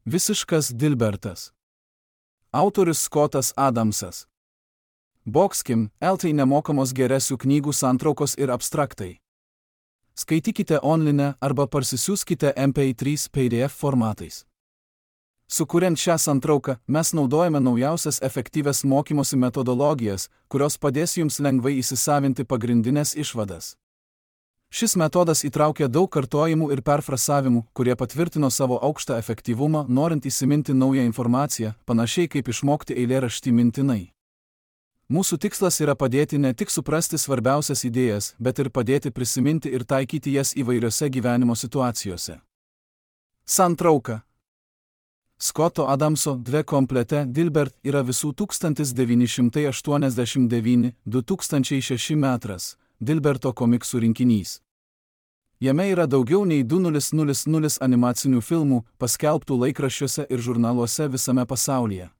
Visiškas Dilbertas. Autorius Scottas Adamsas. Boxkim, LT nemokamos geresių knygų santraukos ir abstraktai. Skaitykite online arba parsisiųskite MP3 PDF formatais. Sukuriant šią santrauką, mes naudojame naujausias efektyvias mokymosi metodologijas, kurios padės jums lengvai įsisavinti pagrindinės išvadas. Šis metodas įtraukia daug kartojimų ir perfrasavimų, kurie patvirtino savo aukštą efektyvumą, norint įsiminti naują informaciją, panašiai kaip išmokti eilėraštį mintinai. Mūsų tikslas yra padėti ne tik suprasti svarbiausias idėjas, bet ir padėti prisiminti ir taikyti jas įvairiose gyvenimo situacijose. Santrauka. Scotto Adamso Dve komplete Dilbert yra visų 1989-2006 metras Dilberto komiksų rinkinys. Jame yra daugiau nei 200 animacinių filmų, paskelbtų laikraščiuose ir žurnaluose visame pasaulyje.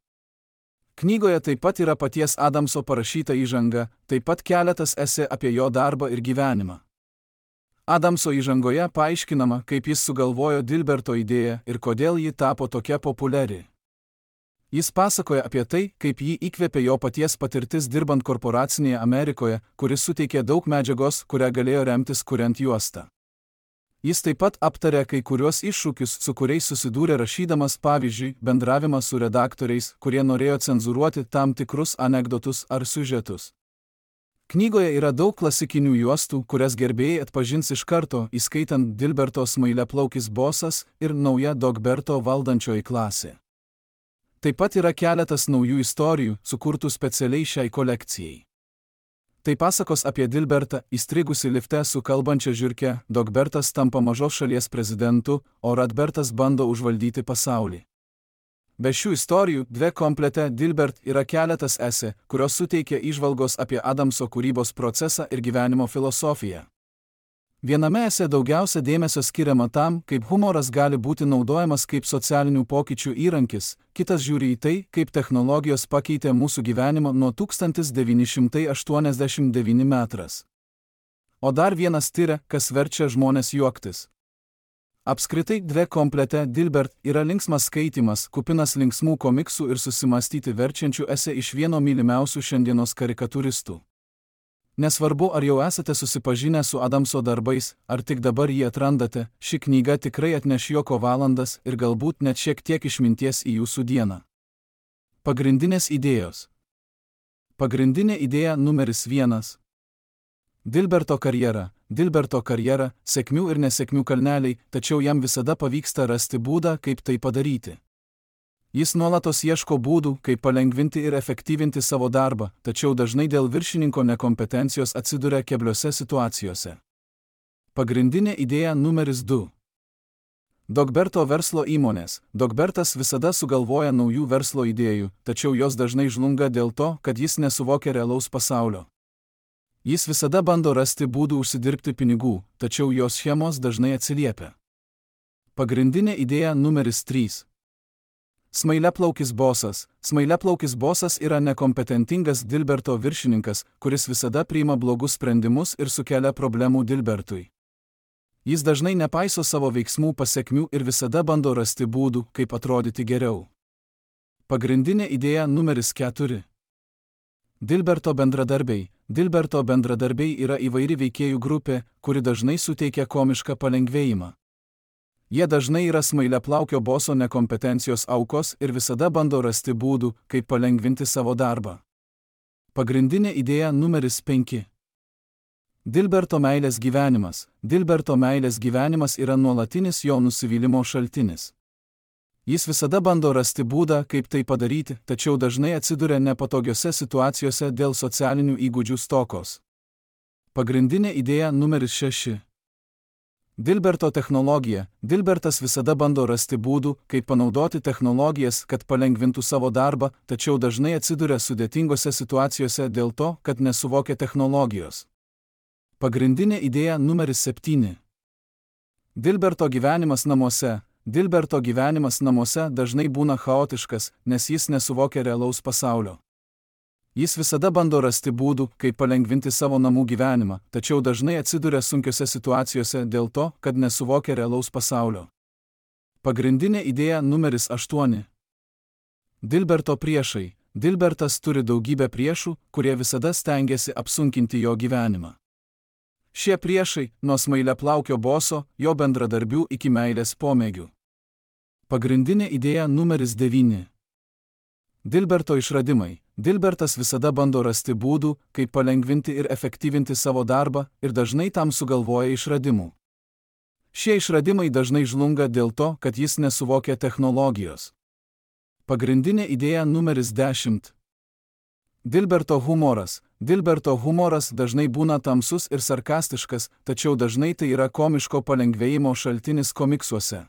Knygoje taip pat yra paties Adamso parašyta įžanga, taip pat keletas esė apie jo darbą ir gyvenimą. Adamso įžangoje paaiškinama, kaip jis sugalvojo Dilberto idėją ir kodėl ji tapo tokia populiari. Jis pasakoja apie tai, kaip jį įkvėpė jo paties patirtis dirbant korporacinėje Amerikoje, kuris suteikė daug medžiagos, kurią galėjo remtis kuriant juostą. Jis taip pat aptarė kai kuriuos iššūkius, su kuriais susidūrė rašydamas, pavyzdžiui, bendravimą su redaktoriais, kurie norėjo cenzūruoti tam tikrus anekdotus ar siužetus. Knygoje yra daug klasikinių juostų, kurias gerbėjai atpažins iš karto, įskaitant Dilberto Smailiaplaukis bosas ir nauja Dogberto valdančioji klasė. Taip pat yra keletas naujų istorijų, sukurtų specialiai šiai kolekcijai. Tai pasakos apie Dilbertą, įstrigusi lifte su kalbančia žiurke, Dogbertas tampa mažos šalies prezidentu, o Radbertas bando užvaldyti pasaulį. Be šių istorijų, Dve komplete Dilbert yra keletas esė, kurios suteikia įžvalgos apie Adamso kūrybos procesą ir gyvenimo filosofiją. Viename esė daugiausia dėmesio skiriama tam, kaip humoras gali būti naudojamas kaip socialinių pokyčių įrankis, kitas žiūri į tai, kaip technologijos pakeitė mūsų gyvenimą nuo 1989 metras. O dar vienas tiria, kas verčia žmones juoktis. Apskritai Dve komplete Dilbert yra linksmas skaitymas, kupinas linksmų komiksų ir susimąstyti verčiančių esė iš vieno mylimiausių šiandienos karikatūristų. Nesvarbu, ar jau esate susipažinę su Adamso darbais, ar tik dabar jį atrandate, ši knyga tikrai atneš juoko valandas ir galbūt net šiek tiek išminties į jūsų dieną. Pagrindinės idėjos. Pagrindinė idėja numeris 1. Dilberto karjera, sėkmių ir nesėkmių kalneliai, tačiau jam visada pavyksta rasti būdą, kaip tai padaryti. Jis nuolatos ieško būdų, kaip palengvinti ir efektyvinti savo darbą, tačiau dažnai dėl viršininko nekompetencijos atsiduria kebliose situacijose. Pagrindinė idėja numeris 2. Dogberto verslo įmonės. Dogbertas visada sugalvoja naujų verslo idėjų, tačiau jos dažnai žlunga dėl to, kad jis nesuvokia realaus pasaulio. Jis visada bando rasti būdų užsidirbti pinigų, tačiau jos schemos dažnai atsiliepia. Pagrindinė idėja numeris 3. Smailiaplaukis bosas. Smailiaplaukis bosas yra nekompetentingas Dilberto viršininkas, kuris visada priima blogus sprendimus ir sukelia problemų Dilbertui. Jis dažnai nepaiso savo veiksmų pasekmių ir visada bando rasti būdų, kaip atrodyti geriau. Pagrindinė idėja numeris 4. Dilberto bendradarbiai. Dilberto bendradarbiai yra įvairi veikėjų grupė, kuri dažnai suteikia komišką palengvėjimą. Jie dažnai yra smailiaplaukio boso nekompetencijos aukos ir visada bando rasti būdų, kaip palengvinti savo darbą. Pagrindinė idėja numeris 5. Dilberto meilės gyvenimas. Dilberto meilės gyvenimas yra nuolatinis jo nusivylimo šaltinis. Jis visada bando rasti būdą, kaip tai padaryti, tačiau dažnai atsiduria nepatogiose situacijose dėl socialinių įgūdžių stokos. Pagrindinė idėja numeris 6. Dilberto technologija. Dilbertas visada bando rasti būdų, kaip panaudoti technologijas, kad palengvintų savo darbą, tačiau dažnai atsiduria sudėtingose situacijose dėl to, kad nesuvokia technologijos. Pagrindinė idėja numeris 7. Dilberto gyvenimas namuose. Dilberto gyvenimas namuose dažnai būna chaotiškas, nes jis nesuvokia realaus pasaulio. Jis visada bando rasti būdų, kaip palengvinti savo namų gyvenimą, tačiau dažnai atsiduria sunkiose situacijose dėl to, kad nesuvokia realaus pasaulio. Pagrindinė idėja numeris 8. Dilberto priešai. Dilbertas turi daugybę priešų, kurie visada stengiasi apsunkinti jo gyvenimą. Šie priešai, nuo smailiaplaukio boso, jo bendradarbių iki meilės pomėgių. Pagrindinė idėja numeris 9. Dilberto išradimai. Dilbertas visada bando rasti būdų, kaip palengvinti ir efektyvinti savo darbą, ir dažnai tam sugalvoja išradimų. Šie išradimai dažnai žlunga dėl to, kad jis nesuvokia technologijos. Pagrindinė idėja numeris 10. Dilberto humoras. Dilberto humoras dažnai būna tamsus ir sarkastiškas, tačiau dažnai tai yra komiško palengvėjimo šaltinis komiksuose.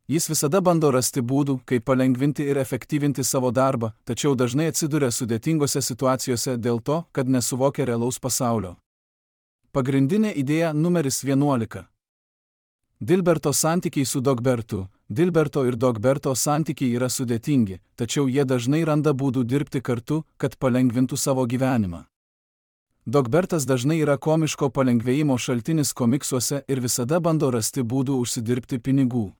Jis visada bando rasti būdų, kaip palengvinti ir efektyvinti savo darbą, tačiau dažnai atsiduria sudėtingose situacijose dėl to, kad nesuvokia realaus pasaulio. Pagrindinė idėja numeris 11. Dilberto santykiai su Dogbertu. Dilberto ir Dogberto santykiai yra sudėtingi, tačiau jie dažnai randa būdų dirbti kartu, kad palengvintų savo gyvenimą. Dogbertas dažnai yra komiško palengvėjimo šaltinis komiksuose ir visada bando rasti būdų užsidirbti pinigų.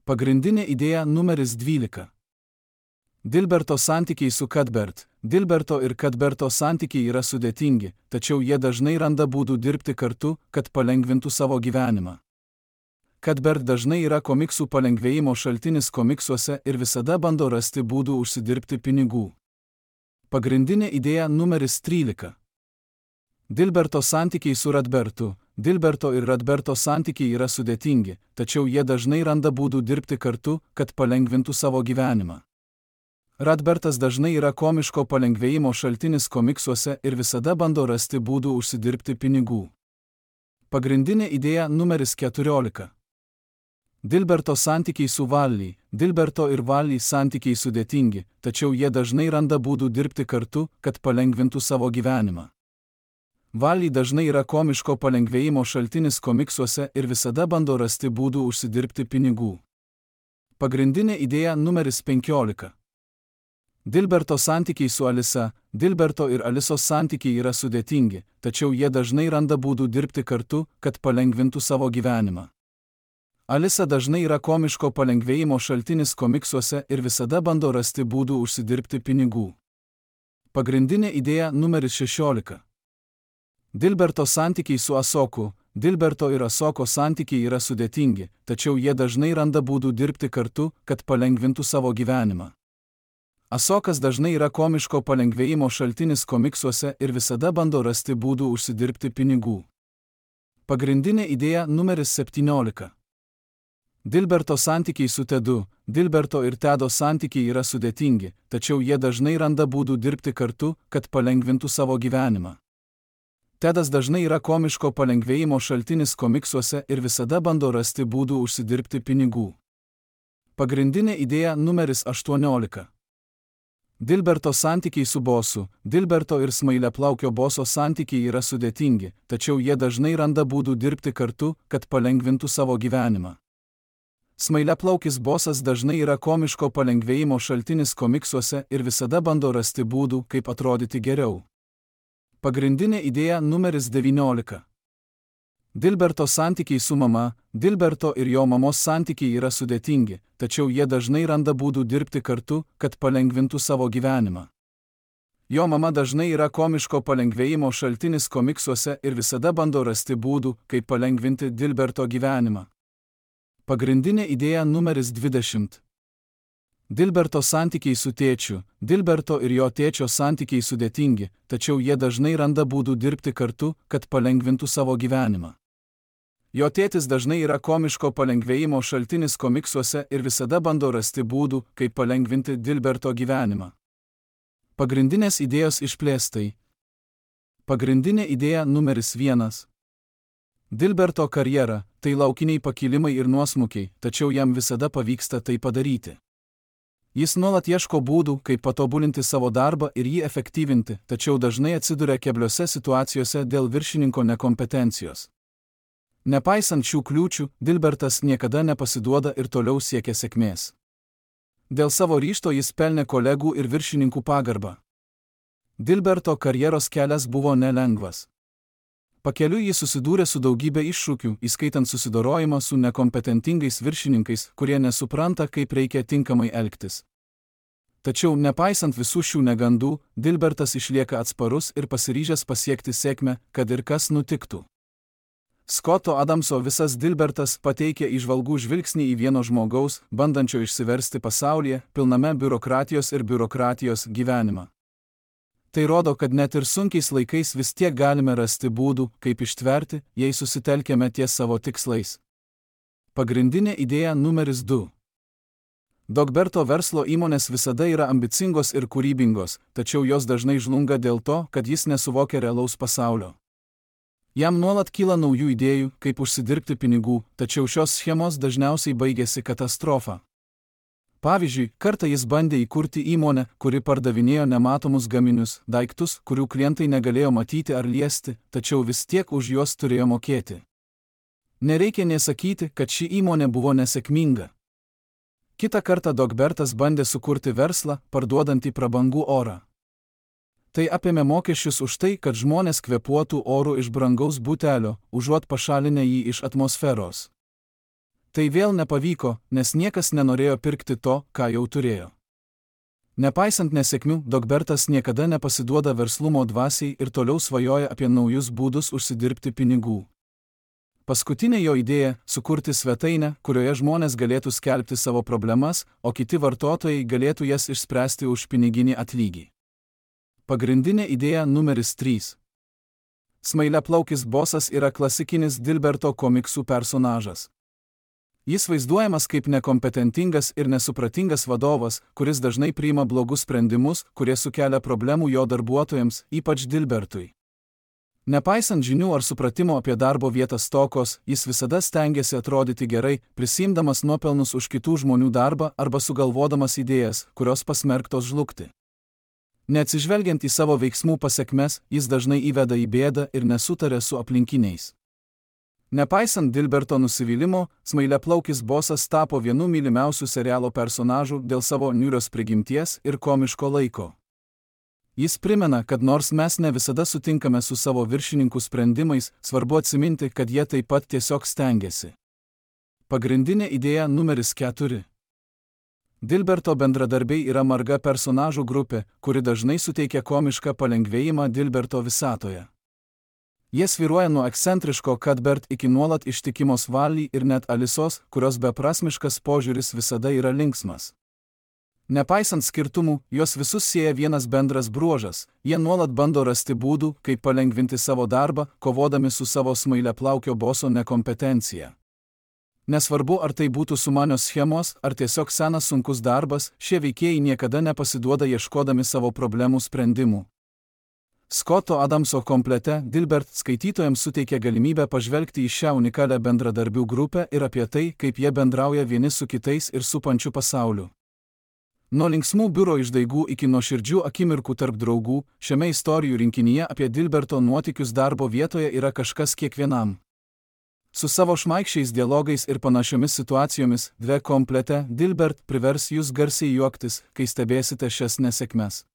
Pagrindinė idėja numeris 12. Dilberto santykiai su Cuthbert. Dilberto ir Cuthberto santykiai yra sudėtingi, tačiau jie dažnai randa būdų dirbti kartu, kad palengvintų savo gyvenimą. Cuthbert dažnai yra komiksų palengvėjimo šaltinis komiksuose ir visada bando rasti būdų užsidirbti pinigų. Pagrindinė idėja numeris 13. Dilberto santykiai su Radbertu. Dilberto ir Radberto santykiai yra sudėtingi, tačiau jie dažnai randa būdų dirbti kartu, kad palengvintų savo gyvenimą. Radbertas dažnai yra komiško palengvėjimo šaltinis komiksuose ir visada bando rasti būdų užsidirbti pinigų. Pagrindinė idėja numeris 14. Dilberto santykiai su Valley. Dilberto ir Valley santykiai sudėtingi, tačiau jie dažnai randa būdų dirbti kartu, kad palengvintų savo gyvenimą. Valley dažnai yra komiško palengvėjimo šaltinis komiksuose ir visada bando rasti būdų užsidirbti pinigų. Pagrindinė idėja numeris 15. Dilberto santykiai su Alisa. Dilberto ir Alisos santykiai yra sudėtingi, tačiau jie dažnai randa būdų dirbti kartu, kad palengvintų savo gyvenimą. Alisa dažnai yra komiško palengvėjimo šaltinis komiksuose ir visada bando rasti būdų užsidirbti pinigų. Pagrindinė idėja numeris 16. Dilberto santykiai su Asoku. Dilberto ir Asoko santykiai yra sudėtingi, tačiau jie dažnai randa būdų dirbti kartu, kad palengvintų savo gyvenimą. Asokas dažnai yra komiško palengvėjimo šaltinis komiksuose ir visada bando rasti būdų užsidirbti pinigų. Pagrindinė idėja numeris 17. Dilberto santykiai su Tedu. Dilberto ir Tedo santykiai yra sudėtingi, tačiau jie dažnai randa būdų dirbti kartu, kad palengvintų savo gyvenimą. Tedas dažnai yra komiško palengvėjimo šaltinis komiksuose ir visada bando rasti būdų užsidirbti pinigų. Pagrindinė idėja numeris 18. Dilberto santykiai su bosu. Dilberto ir smailiaplaukio boso santykiai yra sudėtingi, tačiau jie dažnai randa būdų dirbti kartu, kad palengvintų savo gyvenimą. Smailiaplaukis bosas dažnai yra komiško palengvėjimo šaltinis komiksuose ir visada bando rasti būdų, kaip atrodyti geriau. Pagrindinė idėja numeris 19. Dilberto santykiai su mama. Dilberto ir jo mamos santykiai yra sudėtingi, tačiau jie dažnai randa būdų dirbti kartu, kad palengvintų savo gyvenimą. Jo mama dažnai yra komiško palengvėjimo šaltinis komiksuose ir visada bando rasti būdų, kaip palengvinti Dilberto gyvenimą. Pagrindinė idėja numeris 20. Dilberto santykiai su tėčiu. Dilberto ir jo tėčio santykiai sudėtingi, tačiau jie dažnai randa būdų dirbti kartu, kad palengvintų savo gyvenimą. Jo tėtis dažnai yra komiško palengvėjimo šaltinis komiksuose ir visada bando rasti būdų, kaip palengvinti Dilberto gyvenimą. Pagrindinės idėjos išplėstai. Pagrindinė idėja numeris 1. Dilberto karjera – tai laukiniai pakilimai ir nuosmukiai, tačiau jam visada pavyksta tai padaryti. Jis nuolat ieško būdų, kaip patobulinti savo darbą ir jį efektyvinti, tačiau dažnai atsiduria kebliose situacijose dėl viršininko nekompetencijos. Nepaisant šių kliūčių, Dilbertas niekada nepasiduoda ir toliau siekia sėkmės. Dėl savo ryžto jis pelnė kolegų ir viršininkų pagarbą. Dilberto karjeros kelias buvo nelengvas. Pakeliui jis susidūrė su daugybė iššūkių, įskaitant susidorojimą su nekompetentingais viršininkais, kurie nesupranta, kaip reikia tinkamai elgtis. Tačiau, nepaisant visų šių negandų, Dilbertas išlieka atsparus ir pasiryžęs pasiekti sėkmę, kad ir kas nutiktų. Scotto Adamso visas Dilbertas pateikia įžvalgų žvilgsnį į vieno žmogaus, bandančio išsiversti pasaulyje, pilname biurokratijos ir biurokratijos gyvenimą. Tai rodo, kad net ir sunkiais laikais vis tiek galime rasti būdų, kaip ištverti, jei susitelkėme ties savo tikslais. Pagrindinė idėja numeris 2. Dogberto verslo įmonės visada yra ambicingos ir kūrybingos, tačiau jos dažnai žlunga dėl to, kad jis nesuvokia realaus pasaulio. Jam nuolat kyla naujų idėjų, kaip užsidirbti pinigų, tačiau šios schemos dažniausiai baigėsi katastrofa. Pavyzdžiui, kartą jis bandė įkurti įmonę, kuri pardavinėjo nematomus gaminius, daiktus, kurių klientai negalėjo matyti ar liesti, tačiau vis tiek už juos turėjo mokėti. Nereikia nė sakyti, kad ši įmonė buvo nesėkminga. Kitą kartą Dogbertas bandė sukurti verslą, parduodantį prabangų orą. Tai apėmė mokesčius už tai, kad žmonės kvėpuotų oru iš brangaus butelio, užuot pašalinę jį iš atmosferos. Tai vėl nepavyko, nes niekas nenorėjo pirkti to, ką jau turėjo. Nepaisant nesėkmių, Dogbertas niekada nepasiduoda verslumo dvasiai ir toliau svajoja apie naujus būdus užsidirbti pinigų. Paskutinė jo idėja – sukurti svetainę, kurioje žmonės galėtų skelbti savo problemas, o kiti vartotojai galėtų jas išspręsti už piniginį atlygį. Pagrindinė idėja numeris 3. Smailiaplaukis bosas yra klasikinis Dilberto komiksų personažas. Jis vaizduojamas kaip nekompetentingas ir nesupratingas vadovas, kuris dažnai priima blogus sprendimus, kurie sukelia problemų jo darbuotojams, ypač Dilbertui. Nepaisant žinių ar supratimo apie darbo vietos stokos, jis visada stengiasi atrodyti gerai, prisiimdamas nuopelnus už kitų žmonių darbą arba sugalvodamas idėjas, kurios pasmerktos žlugti. Neatsižvelgiant į savo veiksmų pasekmes, jis dažnai įveda į bėdą ir nesutaria su aplinkiniais. Nepaisant Dilberto nusivylimo, smailiaplaukis bosas tapo vienu mylimiausių serialo personažų dėl savo niūrios prigimties ir komiško laiko. Jis primena, kad nors mes ne visada sutinkame su savo viršininkų sprendimais, svarbu atsiminti, kad jie taip pat tiesiog stengiasi. Pagrindinė idėja numeris 4. Dilberto bendradarbiai yra marga personažų grupė, kuri dažnai suteikia komišką palengvėjimą Dilberto visatoje. Jie svyruoja nuo ekscentriško Cuthbert iki nuolat ištikimos Wally ir net Alisos, kurios beprasmiškas požiūris visada yra linksmas. Nepaisant skirtumų, jos visus sieja vienas bendras bruožas, jie nuolat bando rasti būdų, kaip palengvinti savo darbą, kovodami su savo smailiaplaukio boso nekompetencija. Nesvarbu, ar tai būtų sumanios schemos, ar tiesiog senas sunkus darbas, šie veikėjai niekada nepasiduoda ieškodami savo problemų sprendimų. Scotto Adamso komplete Dilbert skaitytojams suteikia galimybę pažvelgti į šią unikalią bendradarbių grupę ir apie tai, kaip jie bendrauja vieni su kitais ir supančiu pasauliu. Nuo linksmų biuro išdaigų iki nuoširdžių akimirkų tarp draugų, šiame istorijų rinkinyje apie Dilberto nuotykius darbo vietoje yra kažkas kiekvienam. Su savo šmaikščiais dialogais ir panašiomis situacijomis, dve komplete Dilbert privers jūs garsiai juoktis, kai stebėsite šias nesėkmes.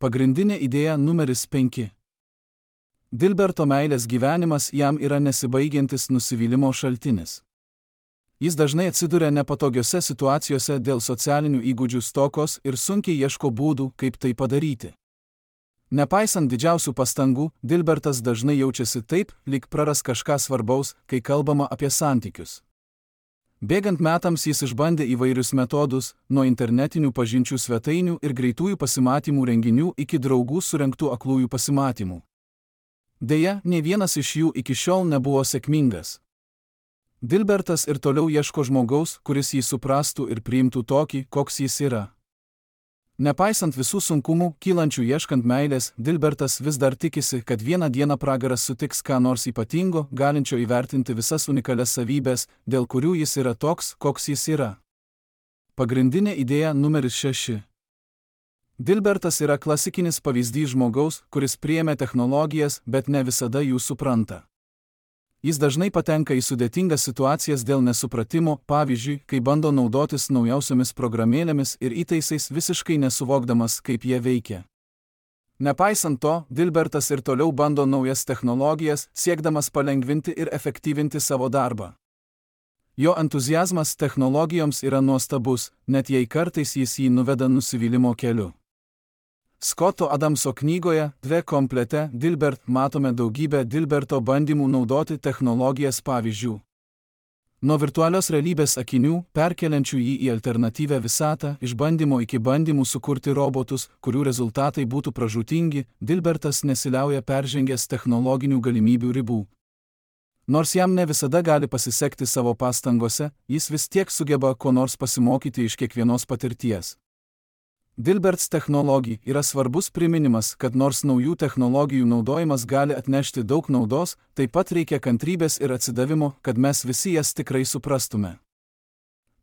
Pagrindinė idėja numeris 5. Dilberto meilės gyvenimas jam yra nesibaigiantis nusivylimo šaltinis. Jis dažnai atsiduria nepatogiose situacijose dėl socialinių įgūdžių stokos ir sunkiai ieško būdų, kaip tai padaryti. Nepaisant didžiausių pastangų, Dilbertas dažnai jaučiasi taip, lyg praras kažką svarbaus, kai kalbama apie santykius. Bėgant metams jis išbandė įvairius metodus, nuo internetinių pažinčių svetainių ir greitųjų pasimatymų renginių iki draugų surengtų aklųjų pasimatymų. Deja, nė vienas iš jų iki šiol nebuvo sėkmingas. Dilbertas ir toliau ieško žmogaus, kuris jį suprastų ir priimtų tokį, koks jis yra. Nepaisant visų sunkumų, kylančių ieškant meilės, Dilbertas vis dar tikisi, kad vieną dieną pragaras sutiks ką nors ypatingo, galinčio įvertinti visas unikalias savybės, dėl kurių jis yra toks, koks jis yra. Pagrindinė idėja numeris 6. Dilbertas yra klasikinis pavyzdys žmogaus, kuris priėmė technologijas, bet ne visada jų supranta. Jis dažnai patenka į sudėtingas situacijas dėl nesupratimo, pavyzdžiui, kai bando naudotis naujausiomis programėlėmis ir įtaisais visiškai nesuvokdamas, kaip jie veikia. Nepaisant to, Dilbertas ir toliau bando naujas technologijas, siekdamas palengvinti ir efektyvinti savo darbą. Jo entuziazmas technologijoms yra nuostabus, net jei kartais jis jį nuveda nusivylimo keliu. Scotto Adamso knygoje Dve komplete Dilbert matome daugybę Dilberto bandymų naudoti technologijas pavyzdžių. Nuo virtualios realybės akinių, perkeliančių jį į alternatyvią visatą, išbandymo iki bandymų sukurti robotus, kurių rezultatai būtų pražūtingi, Dilbertas nesiliauja peržengęs technologinių galimybių ribų. Nors jam ne visada gali pasisekti savo pastangose, jis vis tiek sugeba ko nors pasimokyti iš kiekvienos patirties. Dilberts technologija yra svarbus priminimas, kad nors naujų technologijų naudojimas gali atnešti daug naudos, taip pat reikia kantrybės ir atsidavimo, kad mes visi jas tikrai suprastume.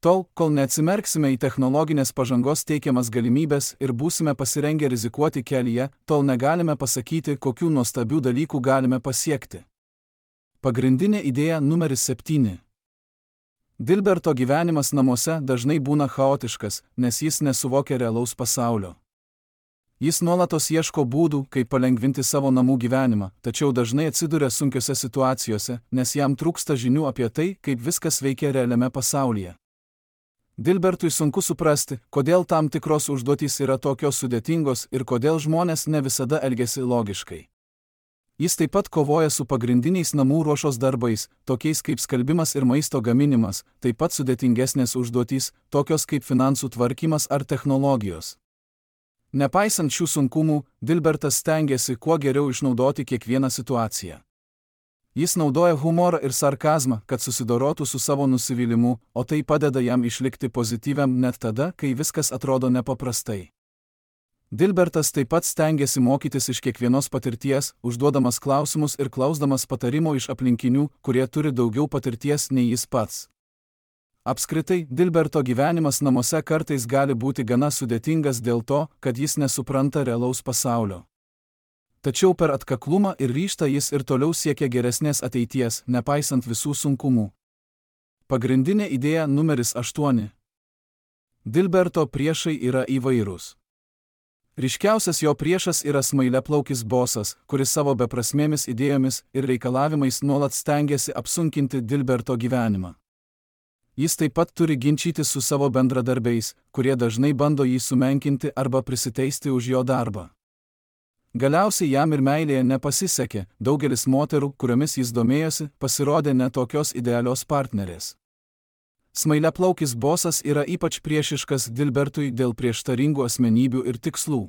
Tol, kol neatsimerksime į technologinės pažangos teikiamas galimybės ir būsime pasirengę rizikuoti kelyje, tol negalime pasakyti, kokių nuostabių dalykų galime pasiekti. Pagrindinė idėja numeris 7. Dilberto gyvenimas namuose dažnai būna chaotiškas, nes jis nesuvokia realaus pasaulio. Jis nuolatos ieško būdų, kaip palengvinti savo namų gyvenimą, tačiau dažnai atsiduria sunkiose situacijose, nes jam trūksta žinių apie tai, kaip viskas veikia realiame pasaulyje. Dilbertui sunku suprasti, kodėl tam tikros užduotys yra tokios sudėtingos ir kodėl žmonės ne visada elgiasi logiškai. Jis taip pat kovoja su pagrindiniais namų ruošos darbais, tokiais kaip skalbimas ir maisto gaminimas, taip pat sudėtingesnės užduotys, tokios kaip finansų tvarkymas ar technologijos. Nepaisant šių sunkumų, Dilbertas stengiasi kuo geriau išnaudoti kiekvieną situaciją. Jis naudoja humorą ir sarkazmą, kad susidorotų su savo nusivylimu, o tai padeda jam išlikti pozityviam net tada, kai viskas atrodo nepaprastai. Dilbertas taip pat stengiasi mokytis iš kiekvienos patirties, užduodamas klausimus ir klausdamas patarimo iš aplinkinių, kurie turi daugiau patirties nei jis pats. Apskritai, Dilberto gyvenimas namuose kartais gali būti gana sudėtingas dėl to, kad jis nesupranta realaus pasaulio. Tačiau per atkaklumą ir ryžtą jis ir toliau siekia geresnės ateities, nepaisant visų sunkumų. Pagrindinė idėja numeris 8. Dilberto priešai yra įvairūs. Ryškiausias jo priešas yra smailiaplaukis bosas, kuris savo beprasmėmis idėjomis ir reikalavimais nuolat stengiasi apsunkinti Dilberto gyvenimą. Jis taip pat turi ginčytis su savo bendradarbiais, kurie dažnai bando jį sumenkinti arba prisiteisti už jo darbą. Galiausiai jam ir meilėje nepasisekė, daugelis moterų, kuriomis jis domėjosi, pasirodė ne tokios idealios partnerės. Smailiaplaukis bosas yra ypač priešiškas Dilbertui dėl prieštaringų asmenybių ir tikslų.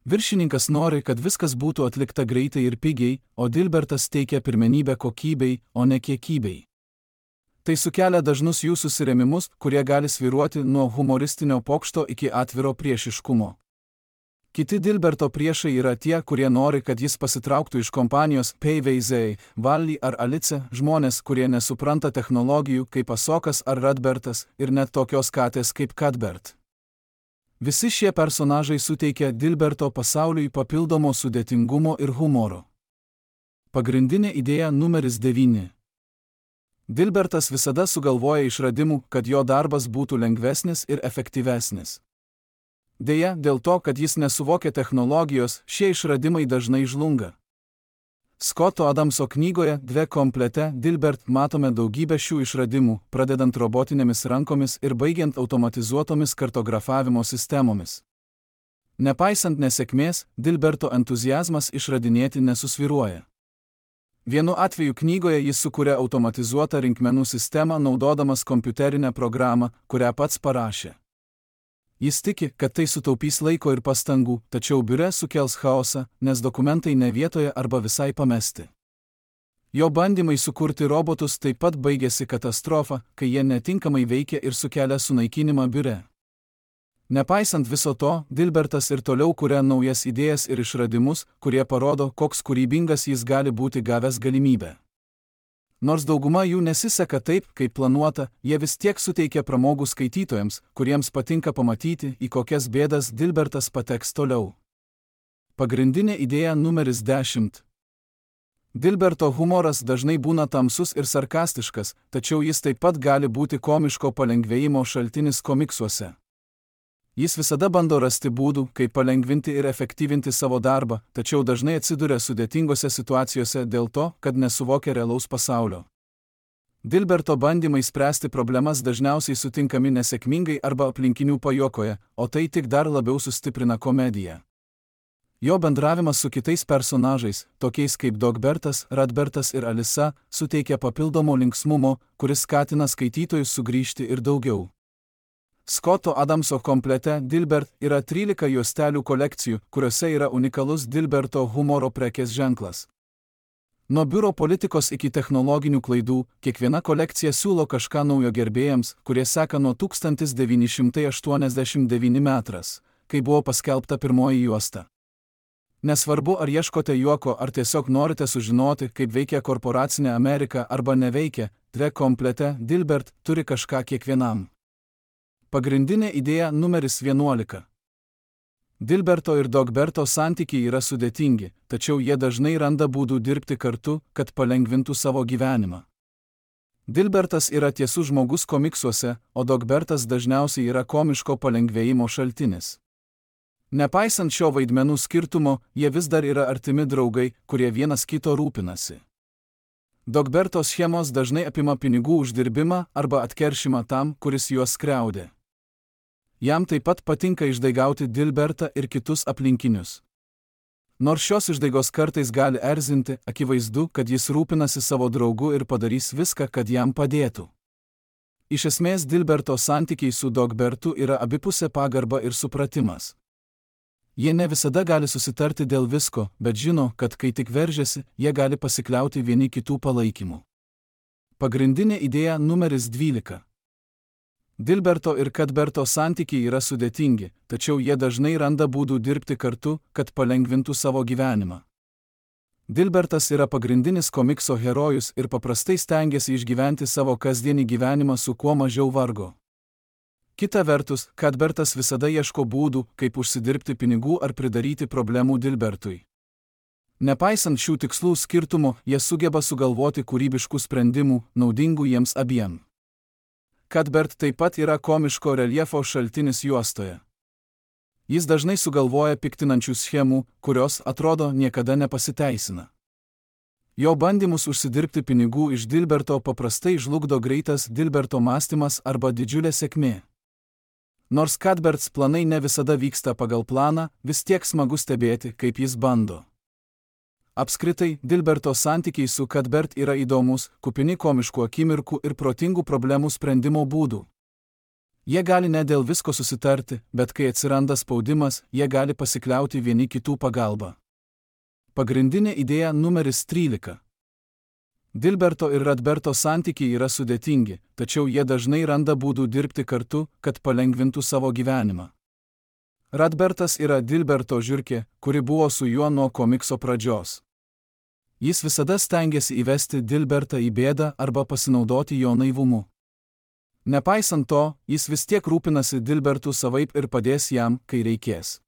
Viršininkas nori, kad viskas būtų atlikta greitai ir pigiai, o Dilbertas teikia pirmenybę kokybei, o ne kiekybei. Tai sukelia dažnus jų susirėmimus, kurie gali svyruoti nuo humoristinio pokšto iki atviro priešiškumo. Kiti Dilberto priešai yra tie, kurie nori, kad jis pasitrauktų iš kompanijos PVZ, Valley ar Alice, žmonės, kurie nesupranta technologijų kaip Asokas ar Radbertas ir net tokios katės kaip Cuthbert. Visi šie personažai suteikia Dilberto pasauliui papildomo sudėtingumo ir humoro. Pagrindinė idėja numeris 9. Dilbertas visada sugalvoja išradimų, kad jo darbas būtų lengvesnis ir efektyvesnis. Deja, dėl to, kad jis nesuvokia technologijos, šie išradimai dažnai žlunga. Scotto Adamso knygoje Dve komplete Dilbert matome daugybę šių išradimų, pradedant robotinėmis rankomis ir baigiant automatizuotomis kartografavimo sistemomis. Nepaisant nesėkmės, Dilberto entuziazmas išradinėti nesusvyruoja. Vienu atveju knygoje jis sukuria automatizuotą rinkmenų sistemą naudodamas kompiuterinę programą, kurią pats parašė. Jis tiki, kad tai sutaupys laiko ir pastangų, tačiau biure sukels chaosą, nes dokumentai ne vietoje arba visai pamesti. Jo bandymai sukurti robotus taip pat baigėsi katastrofa, kai jie netinkamai veikia ir sukelia sunaikinimą biure. Nepaisant viso to, Dilbertas ir toliau kuria naujas idėjas ir išradimus, kurie parodo, koks kūrybingas jis gali būti gavęs galimybę. Nors dauguma jų nesiseka taip, kaip planuota, jie vis tiek suteikia pramogų skaitytojams, kuriems patinka pamatyti, į kokias bėdas Dilbertas pateks toliau. Pagrindinė idėja numeris 10. Dilberto humoras dažnai būna tamsus ir sarkastiškas, tačiau jis taip pat gali būti komiško palengvėjimo šaltinis komiksuose. Jis visada bando rasti būdų, kaip palengvinti ir efektyvinti savo darbą, tačiau dažnai atsiduria sudėtingose situacijose dėl to, kad nesuvokia realaus pasaulio. Dilberto bandymai spręsti problemas dažniausiai sutinkami nesėkmingai arba aplinkinių pajuokoje, o tai tik dar labiau sustiprina komediją. Jo bendravimas su kitais personažais, tokiais kaip Dogbertas, Radbertas ir Alisa, suteikia papildomo linksmumo, kuris skatina skaitytojus sugrįžti ir daugiau. Scotto Adamso komplete Dilbert yra 13 juostelių kolekcijų, kuriuose yra unikalus Dilberto humoro prekės ženklas. Nuo biuro politikos iki technologinių klaidų, kiekviena kolekcija siūlo kažką naujo gerbėjams, kurie seka nuo 1989 metras, kai buvo paskelbta pirmoji juosta. Nesvarbu, ar ieškote juoko, ar tiesiog norite sužinoti, kaip veikia korporacinė Amerika arba neveikia, tre komplete Dilbert turi kažką kiekvienam. Pagrindinė idėja numeris 11. Dilberto ir Dogberto santykiai yra sudėtingi, tačiau jie dažnai randa būdų dirbti kartu, kad palengvintų savo gyvenimą. Dilbertas yra tiesus žmogus komiksuose, o Dogbertas dažniausiai yra komiško palengvėjimo šaltinis. Nepaisant šio vaidmenų skirtumo, jie vis dar yra artimi draugai, kurie vienas kito rūpinasi. Dogberto schemos dažnai apima pinigų uždirbimą arba atkeršimą tam, kuris juos skriaudė. Jam taip pat patinka išdaigauti Dilbertą ir kitus aplinkinius. Nors šios išdaigos kartais gali erzinti, akivaizdu, kad jis rūpinasi savo draugu ir padarys viską, kad jam padėtų. Iš esmės Dilberto santykiai su Dogbertu yra abipusė pagarba ir supratimas. Jie ne visada gali susitarti dėl visko, bet žino, kad kai tik veržiasi, jie gali pasikliauti vieni kitų palaikymu. Pagrindinė idėja numeris 12. Dilberto ir Kadberto santykiai yra sudėtingi, tačiau jie dažnai randa būdų dirbti kartu, kad palengvintų savo gyvenimą. Dilbertas yra pagrindinis komikso herojus ir paprastai stengiasi išgyventi savo kasdienį gyvenimą su kuo mažiau vargo. Kita vertus, Kadbertas visada ieško būdų, kaip užsidirbti pinigų ar pridaryti problemų Dilbertui. Nepaisant šių tikslų skirtumo, jie sugeba sugalvoti kūrybiškų sprendimų, naudingų jiems abiem. Kadbert taip pat yra komiško reljefo šaltinis juostoje. Jis dažnai sugalvoja piktinančių schemų, kurios, atrodo, niekada nepasiteisina. Jo bandymus užsidirbti pinigų iš Dilberto paprastai žlugdo greitas Dilberto mąstymas arba didžiulė sėkmė. Nors Kadberts planai ne visada vyksta pagal planą, vis tiek smagu stebėti, kaip jis bando. Apskritai, Dilberto santykiai su Kadbert yra įdomus, kupini komiškų akimirkų ir protingų problemų sprendimo būdų. Jie gali ne dėl visko susitarti, bet kai atsiranda spaudimas, jie gali pasikliauti vieni kitų pagalba. Pagrindinė idėja numeris 13. Dilberto ir Radberto santykiai yra sudėtingi, tačiau jie dažnai randa būdų dirbti kartu, kad palengvintų savo gyvenimą. Radbertas yra Dilberto žiurkė, kuri buvo su juo nuo komikso pradžios. Jis visada stengiasi įvesti Dilbertą į bėdą arba pasinaudoti jo naivumu. Nepaisant to, jis vis tiek rūpinasi Dilbertu savaip ir padės jam, kai reikės.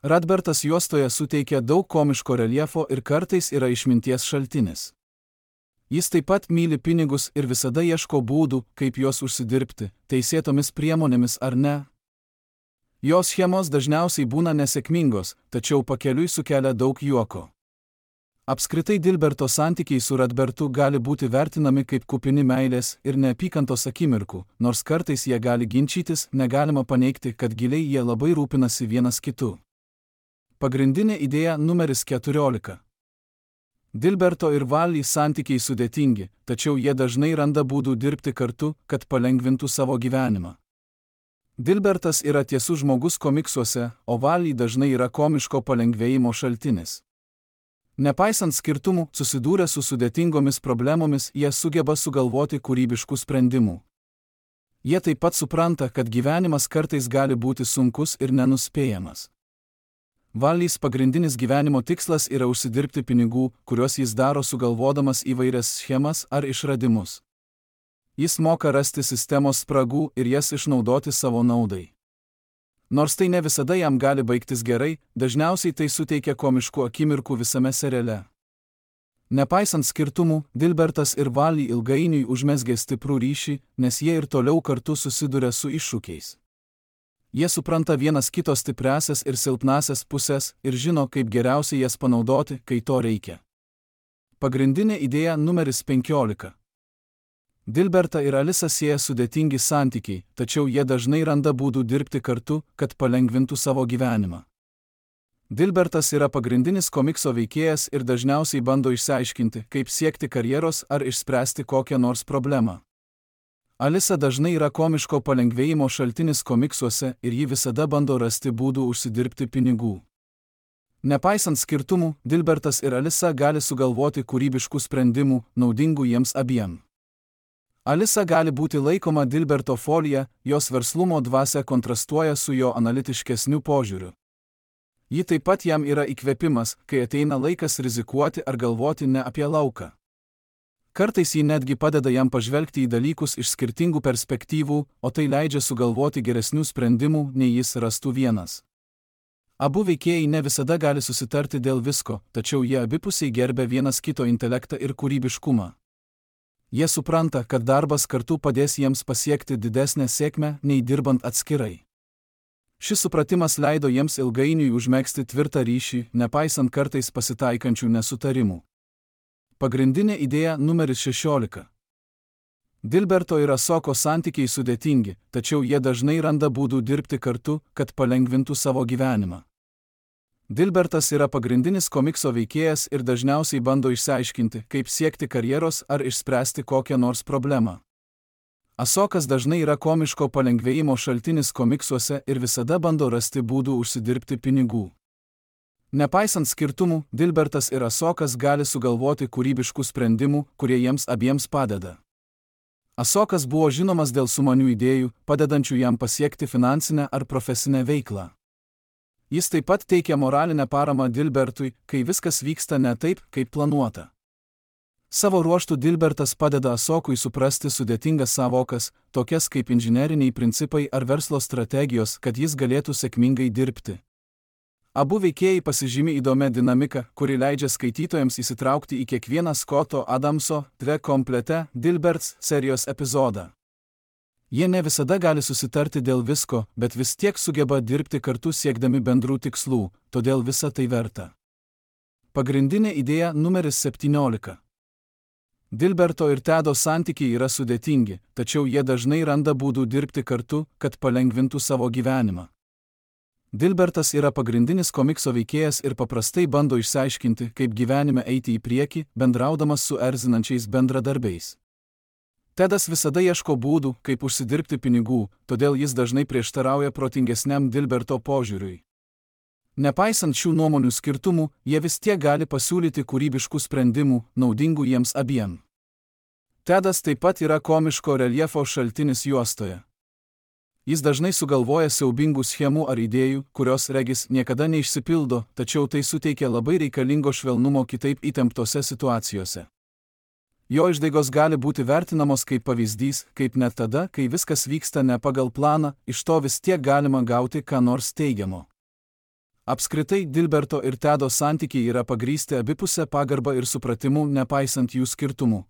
Radbertas juostoje suteikia daug komiško reljefo ir kartais yra išminties šaltinis. Jis taip pat myli pinigus ir visada ieško būdų, kaip juos užsidirbti, teisėtomis priemonėmis ar ne. Jo schemos dažniausiai būna nesėkmingos, tačiau pakeliui sukelia daug juoko. Apskritai Dilberto santykiai su Radbertu gali būti vertinami kaip kupini meilės ir neapykantos akimirkų, nors kartais jie gali ginčytis, negalima paneigti, kad giliai jie labai rūpinasi vienas kitu. Pagrindinė idėja numeris 14. Dilberto ir Valley santykiai sudėtingi, tačiau jie dažnai randa būdų dirbti kartu, kad palengvintų savo gyvenimą. Dilbertas yra tiesus žmogus komiksuose, o Valley dažnai yra komiško palengvėjimo šaltinis. Nepaisant skirtumų, susidūrę su sudėtingomis problemomis, jie sugeba sugalvoti kūrybiškų sprendimų. Jie taip pat supranta, kad gyvenimas kartais gali būti sunkus ir nenuspėjamas. Valleys pagrindinis gyvenimo tikslas yra užsidirbti pinigų, kuriuos jis daro sugalvodamas įvairias schemas ar išradimus. Jis moka rasti sistemos spragų ir jas išnaudoti savo naudai. Nors tai ne visada jam gali baigtis gerai, dažniausiai tai suteikia komiškų akimirkų visame seriale. Nepaisant skirtumų, Dilbertas ir Valley ilgainiui užmezgė stiprų ryšį, nes jie ir toliau kartu susiduria su iššūkiais. Jie supranta vienas kito stipriasias ir silpnasias pusės ir žino, kaip geriausiai jas panaudoti, kai to reikia. Pagrindinė idėja numeris 15. Dilbertą ir Alisą sieja sudėtingi santykiai, tačiau jie dažnai randa būdų dirbti kartu, kad palengvintų savo gyvenimą. Dilbertas yra pagrindinis komikso veikėjas ir dažniausiai bando išsiaiškinti, kaip siekti karjeros ar išspręsti kokią nors problemą. Alisa dažnai yra komiško palengvėjimo šaltinis komiksuose ir ji visada bando rasti būdų užsidirbti pinigų. Nepaisant skirtumų, Dilbertas ir Alisa gali sugalvoti kūrybiškų sprendimų, naudingų jiems abiem. Alisa gali būti laikoma Dilberto folija, jos verslumo dvasia kontrastuoja su jo analitiškesniu požiūriu. Ji taip pat jam yra įkvėpimas, kai ateina laikas rizikuoti ar galvoti ne apie lauką. Kartais ji netgi padeda jam pažvelgti į dalykus iš skirtingų perspektyvų, o tai leidžia sugalvoti geresnių sprendimų, nei jis rastų vienas. Abu veikėjai ne visada gali susitarti dėl visko, tačiau jie abipusiai gerbia vienas kito intelektą ir kūrybiškumą. Jie supranta, kad darbas kartu padės jiems pasiekti didesnę sėkmę, nei dirbant atskirai. Šis supratimas leido jiems ilgainiui užmegzti tvirtą ryšį, nepaisant kartais pasitaikančių nesutarimų. Pagrindinė idėja numeris 16. Dilberto ir Asoko santykiai sudėtingi, tačiau jie dažnai randa būdų dirbti kartu, kad palengvintų savo gyvenimą. Dilbertas yra pagrindinis komikso veikėjas ir dažniausiai bando išsiaiškinti, kaip siekti karjeros ar išspręsti kokią nors problemą. Asokas dažnai yra komiško palengvėjimo šaltinis komiksuose ir visada bando rasti būdų užsidirbti pinigų. Nepaisant skirtumų, Dilbertas ir Asokas gali sugalvoti kūrybiškų sprendimų, kurie jiems abiems padeda. Asokas buvo žinomas dėl sumanių idėjų, padedančių jam pasiekti finansinę ar profesinę veiklą. Jis taip pat teikia moralinę paramą Dilbertui, kai viskas vyksta ne taip, kaip planuota. Savo ruožtu Dilbertas padeda Asokui suprasti sudėtingas savokas, tokias kaip inžineriniai principai ar verslo strategijos, kad jis galėtų sėkmingai dirbti. Abu veikėjai pasižymi įdomią dinamiką, kuri leidžia skaitytojams įsitraukti į kiekvieną Scotto Adamso The Complete Dilberts serijos epizodą. Jie ne visada gali susitarti dėl visko, bet vis tiek sugeba dirbti kartu siekdami bendrų tikslų, todėl visa tai verta. Pagrindinė idėja numeris 17. Dilberto ir Tedo santykiai yra sudėtingi, tačiau jie dažnai randa būdų dirbti kartu, kad palengvintų savo gyvenimą. Dilbertas yra pagrindinis komikso veikėjas ir paprastai bando išsiaiškinti, kaip gyvenime eiti į priekį, bendraudamas su erzinančiais bendradarbiais. Tedas visada ieško būdų, kaip užsidirbti pinigų, todėl jis dažnai prieštarauja protingesniam Dilberto požiūriui. Nepaisant šių nuomonių skirtumų, jie vis tiek gali pasiūlyti kūrybiškų sprendimų, naudingų jiems abiem. Tedas taip pat yra komiško reljefo šaltinis juostoje. Jis dažnai sugalvoja siaubingų schemų ar idėjų, kurios regis niekada neišsipildo, tačiau tai suteikia labai reikalingo švelnumo kitaip įtemptose situacijose. Jo išdaigos gali būti vertinamos kaip pavyzdys, kaip net tada, kai viskas vyksta ne pagal planą, iš to vis tiek galima gauti ką nors teigiamo. Apskritai, Dilberto ir Tedo santykiai yra pagrįsti abipusę pagarbą ir supratimu, nepaisant jų skirtumų.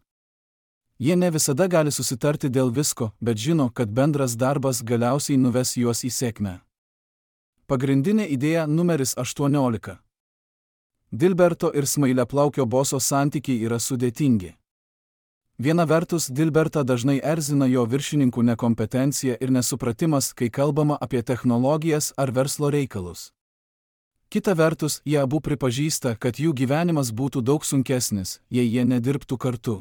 Jie ne visada gali susitarti dėl visko, bet žino, kad bendras darbas galiausiai nuves juos į sėkmę. Pagrindinė idėja numeris 18. Dilberto ir smailiaplaukio boso santykiai yra sudėtingi. Viena vertus, Dilbertą dažnai erzina jo viršininkų nekompetencija ir nesupratimas, kai kalbama apie technologijas ar verslo reikalus. Kita vertus, jie abu pripažįsta, kad jų gyvenimas būtų daug sunkesnis, jei jie nedirbtų kartu.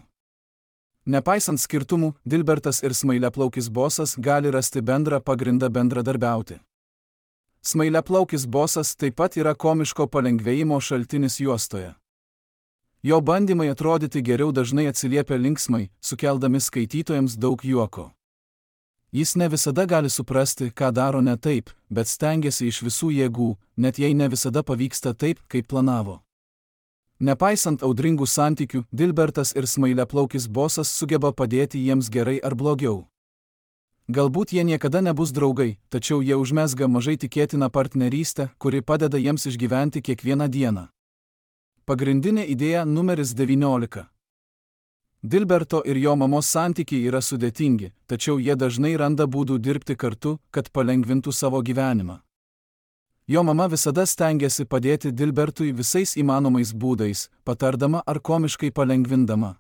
Nepaisant skirtumų, Dilbertas ir smailiaplaukis bosas gali rasti bendrą pagrindą bendradarbiauti. Smailiaplaukis bosas taip pat yra komiško palengvėjimo šaltinis juostoje. Jo bandymai atrodyti geriau dažnai atsiliepia linksmai, sukeldami skaitytojams daug juoko. Jis ne visada gali suprasti, ką daro ne taip, bet stengiasi iš visų jėgų, net jei ne visada pavyksta taip, kaip planavo. Nepaisant audringų santykių, Dilbertas ir smailiaplaukis bosas sugeba padėti jiems gerai ar blogiau. Galbūt jie niekada nebus draugai, tačiau jie užmezga mažai tikėtiną partnerystę, kuri padeda jiems išgyventi kiekvieną dieną. Pagrindinė idėja numeris 19. Dilberto ir jo mamos santykiai yra sudėtingi, tačiau jie dažnai randa būdų dirbti kartu, kad palengvintų savo gyvenimą. Jo mama visada stengiasi padėti Dilbertui visais įmanomais būdais, patardama ar komiškai palengvindama.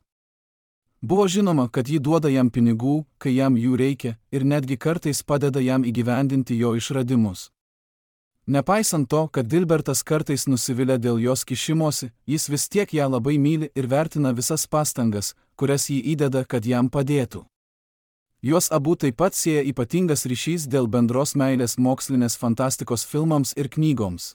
Buvo žinoma, kad ji duoda jam pinigų, kai jam jų reikia, ir netgi kartais padeda jam įgyvendinti jo išradimus. Nepaisant to, kad Dilbertas kartais nusivilia dėl jos kišimosi, jis vis tiek ją labai myli ir vertina visas pastangas, kurias ji įdeda, kad jam padėtų. Juos abu taip pat sieja ypatingas ryšys dėl bendros meilės mokslinės fantastikos filmams ir knygoms.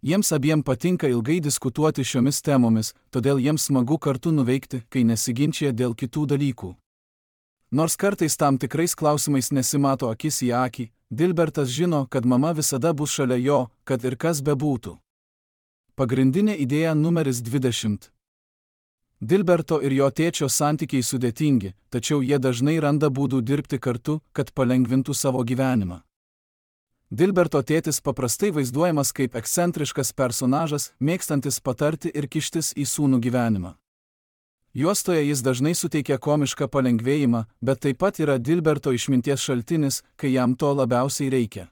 Jiems abiem patinka ilgai diskutuoti šiomis temomis, todėl jiems smagu kartu nuveikti, kai nesiginčia dėl kitų dalykų. Nors kartais tam tikrais klausimais nesimato akis į akį, Dilbertas žino, kad mama visada bus šalia jo, kad ir kas bebūtų. Pagrindinė idėja numeris 20. Dilberto ir jo tėčio santykiai sudėtingi, tačiau jie dažnai randa būdų dirbti kartu, kad palengvintų savo gyvenimą. Dilberto tėtis paprastai vaizduojamas kaip ekscentriškas personažas, mėgstantis patarti ir kištis į sūnų gyvenimą. Juostoje jis dažnai suteikia komišką palengvėjimą, bet taip pat yra Dilberto išminties šaltinis, kai jam to labiausiai reikia.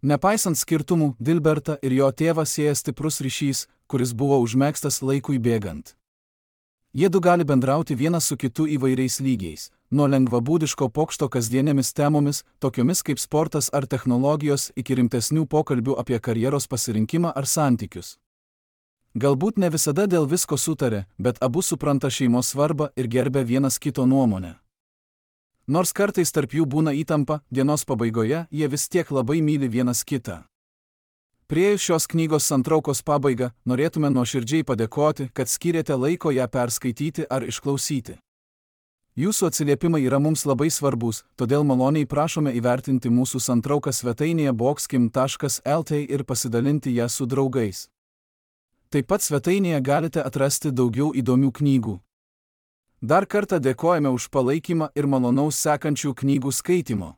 Nepaisant skirtumų, Dilbertą ir jo tėvą sieja stiprus ryšys, kuris buvo užmegztas laikui bėgant. Jiedu gali bendrauti vienas su kitu įvairiais lygiais, nuo lengvabūdiško pokšto kasdienėmis temomis, tokiomis kaip sportas ar technologijos, iki rimtesnių pokalbių apie karjeros pasirinkimą ar santykius. Galbūt ne visada dėl visko sutarė, bet abu supranta šeimos svarbą ir gerbia vienas kito nuomonę. Nors kartais tarp jų būna įtampa, dienos pabaigoje jie vis tiek labai myli vienas kitą. Priėjus šios knygos santraukos pabaigą, norėtume nuoširdžiai padėkoti, kad skyrėte laiko ją perskaityti ar išklausyti. Jūsų atsiliepimai yra mums labai svarbus, todėl maloniai prašome įvertinti mūsų santrauką svetainėje boxkim.lt ir pasidalinti ją su draugais. Taip pat svetainėje galite atrasti daugiau įdomių knygų. Dar kartą dėkojame už palaikymą ir malonaus sekančių knygų skaitymo.